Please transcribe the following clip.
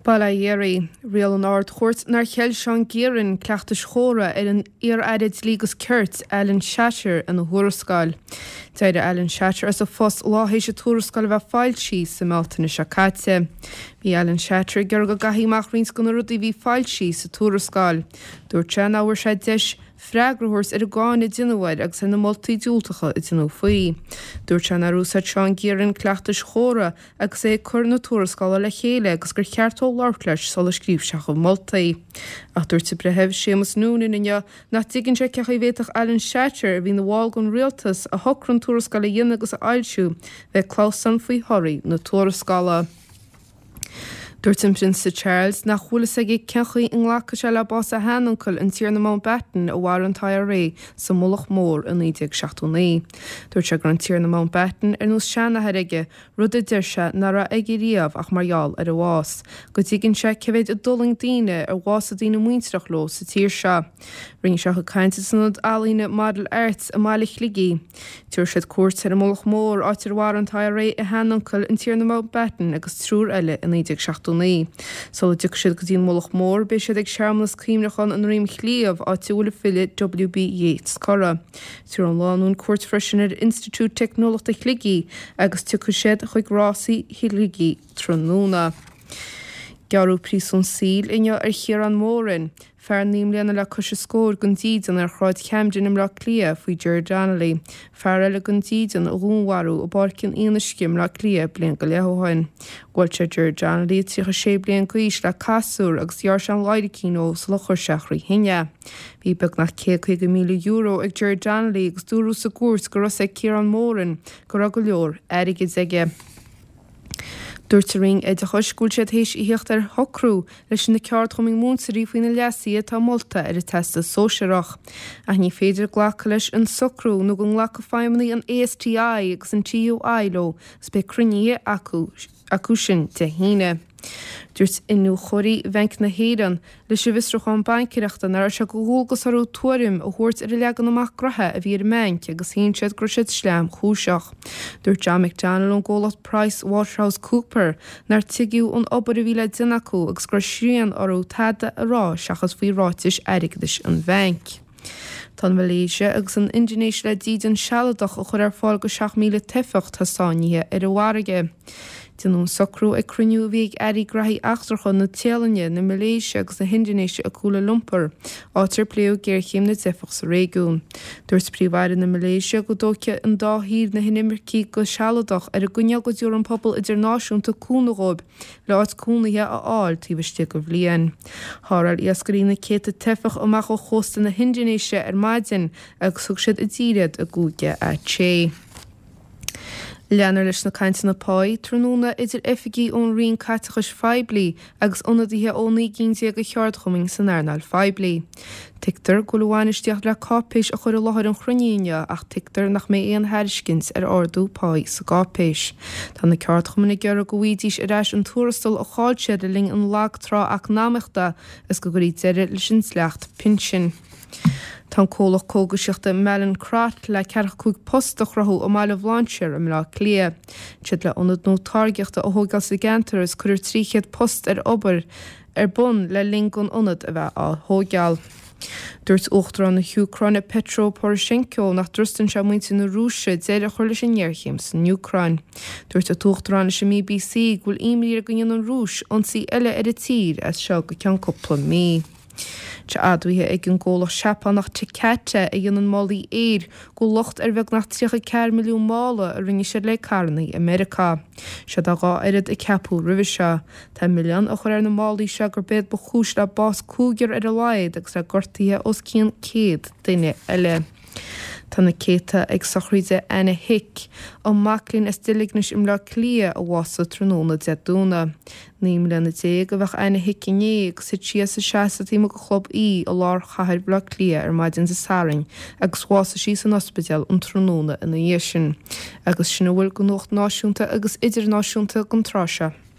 Bail ó Dhia oraibh. Rialaigh an Ard-Chúirt nár cheil Seán Guerin cleachtais chóra ar an iar-aire Dlí agus Cirt, Alan Shatter, ina thuarascáil. D'éirigh Alan Shatter as a phost lá théis an tuarascáil a bheith foilsithe sa mBealtaine seo caite. Bhí Alan Shatter ag iarraidh go gcaithfí amach roinnt de na rudaí a bhí foilsithe sa tuarascáil. Dúirt sé nach bhfuair sé deis freagra a thabhairt ar an gcáineadh a deineadh air agus ar na moltaí diúltacha a deineadh faoi. Dúirt sé nár úsáid Seán Guerin cleachtais chóra agus é ag cur na tuarascála le chéile agus gur cheart dó labhairt leis sular scríobh sé a chuid moltaí. Ach dúirt an Breitheamh Séamus Noonan inniu nach dtuigeann sé cén chaoi a bhféadfadh Alan Shatter, a bhí ina bhall den rialtas, a shocraigh an tuarascáil a dhéanamh agus a fhoilsiú, bheith ag clamhsán faoi thorthaí na tuarascála. Dúirt an Prionsa Charles nach bhfuil fhios aige cén chaoi a nglacfaidh sé le bás a sheanuncail, an Tiarna Mountbatten, a mharaigh an t-IRA sa Mullach Mór i 1979. Dúirt sé go raibh an Tiarna Mountbatten ar nós seanathair aige, rud a deir sé nach raibh aige riamh ach mar gheall ar a bhás, go dtuigeann sé cé mhéid a d'fhulaing daoine ar bhásaigh daoine muintearach leo sa tír seo. Rinne sé a chuid cainte san Ionad Ealaíne Model Arts i mbaile Shligigh. Tabharfaidh siad cuairt ar an Mullach Mór, áit ar mharaigh an t-IRA a sheanuncail, an Tiarna Mountbatten, agus triúr eile i 1979. Sula dtiocfaidh siad go dtí an Mullach Mór, beidh siad ag searmanas cuimhneacháin i nDroim Chliabh, áit a bhfuil an file W.B. Yeats curtha. Tabharfaidh an lánúin cuairt freisin ar Institiúid Teicneolaíochta Shligigh agus tiocfaidh siad chuig Rásaí Shligigh tráthnóna. Gearradh príosún saoil inniu ar Chiarán Moran, Fear 9 mbliana le cois a scór gan dídean ar Shráid Camden i mBleá Cliath faoi Ger Donnelly, fear eile gan dídean a dhúnmharú i bPáirc an Fhionnuisce i mBleá Cliath bliain go leith ó shin. Bhuail sé Ger Donnelly, 36 bliain d'aois, le casúr agus ghearr sé an laidhricín dhó sular chuir sé thrí thine é. Bhí beagnach €150,000 ag Ger Donnelly agus dúradh sa gcúirt go raibh fhios ag Ciarán Moran go raibh go leor airgid aige. Dúirt an Roinn Oideachais go bhfuil siad théis a theacht ar shocrú leis na ceardchumainn múinteoirí faoi na leasuithe atá molta ar an Teastas Sóisearach. Ach ní féidir glacadh leis an socrú nó go nglacfaidh feidhmeannaigh an ASTI agus an TUI leo agus beidh cruinnithe acu acu sin Dé hAoine. Dúirt iniúchóirí Bhanc na hÉireann leis an bhfiosrúchán baincéireachta nach raibh sé de dhualgas orthu tuairim a thabhairt ar an leagan amach gnoithe a bhí ar an mbanc agus shéan siad go raibh siad sleamchúiseach. Dúirt John McDonnell ón gcomhlacht Price Waterhouse Cooper nár tuigeadh an obair a bhí le déanamh acu agus go raibh srian orthu tada a rá seachas faoi ráitis airgeadais an bhainc. Tá an Mhalaeisia agus an Indinéis le dídean sealadach a chur ar fáil go 7,000 teifeach atá sáinnithe ar an bhfarraige. Déanadh an socrú ag cruinniú a bhí ag airí graithí eachtracha na Téalainne, na Malaeisia agus na hIndinéise i Kuala Lumpur, áit ar pléadh géarchéim na dteifeach sa réigiún. Dúirt Príomh-Aire na Malaeisia go dtógfaidh an dá thír na hinimircigh go sealadach ar an gcoinníoll go dtabharfaidh an pobal idirnáisiúnta cúnamh dhóibh le áit cónaithe a fháil taobh istigh de bhliain. Tharrtháil iascairí na céadta teifeach amach ó chósta na hIndinéise ar maidin agus thug siad i dtír iad i gcúige Aceh. Leanfar leis na cainteanna páí tráthnóna idir oifigigh ón Roinn Caiteachais Phoiblí agus ionadaithe ó 19 gcinn de cheardchumainn san earnáil phoiblí. Tuigtear go bhfuil an bhainistíocht le cáipéis a chur i láthair an chruinnithe inniu ach tuigtear nach mbeidh aon thairiscint ar ardú páí sa gcáipéis. Tá na ceardchumainn ag iarraidh go bhfaighidís ar ais an tuarastal a chaill siad le linn an lag-trá eacnamaíochta agus go gcuirfí deireadh leis an dleacht pinsin. Tá an comhlacht cógaisíochta Mallinckrodt le 45 post a chruthú i mBaile Bhlainséir i mBleá Cliath. Tá siad le ionad nua táirgeachta a thógáil sa gceantar agus cuirfear 300 post ar obair ar bun le linn don ionad a bheith á thóigeáil. Dúirt Uachtarán na hÚcráine Petro Poroshenko nach dtrustann sé muintir na Rúise deireadh a chur leis an ngéarchéim san Úcráin. Dúirt an tUachtarán leis an mBBC go bhfuil imní air go ndéanfaidh an Rúis ionsaí eile ar an tír as seo go ceann cúpla mí. Tá admhaithe ag an gcomhlacht Seapánach Takata a dhéanann málaí aeir go bhfuil locht ar bheagnach 34 milliún mála a rinne siad le carranna i Meiriceá. Siod é a dhá oiread a ceapadh roimhe seo. Tá milleán á chur ar na málaí seo gurb iad ba chúis le bás cúigear ar a laghad agus le gortuithe os cionn 100 duine eile. Tá na céadta ag sochraid Anna Hick, an mac léinn as Duilignis i mBleá Cliath a bhásaigh tráthnóna Dé Domhnaigh. 19 mbliana a bheadh Anna Hick inné agus thit sí as a seasamh taobh amuigh de Chlub E i lár chathair Bhaile Átha Cliath ar maidin Dé Sathairn agus bhásaigh sí san ospidéal an tráthnóna ina dhiaidh sin. Agus sin a bhfuil de nuacht náisiúnta agus idirnáisiúnta don tráth seo.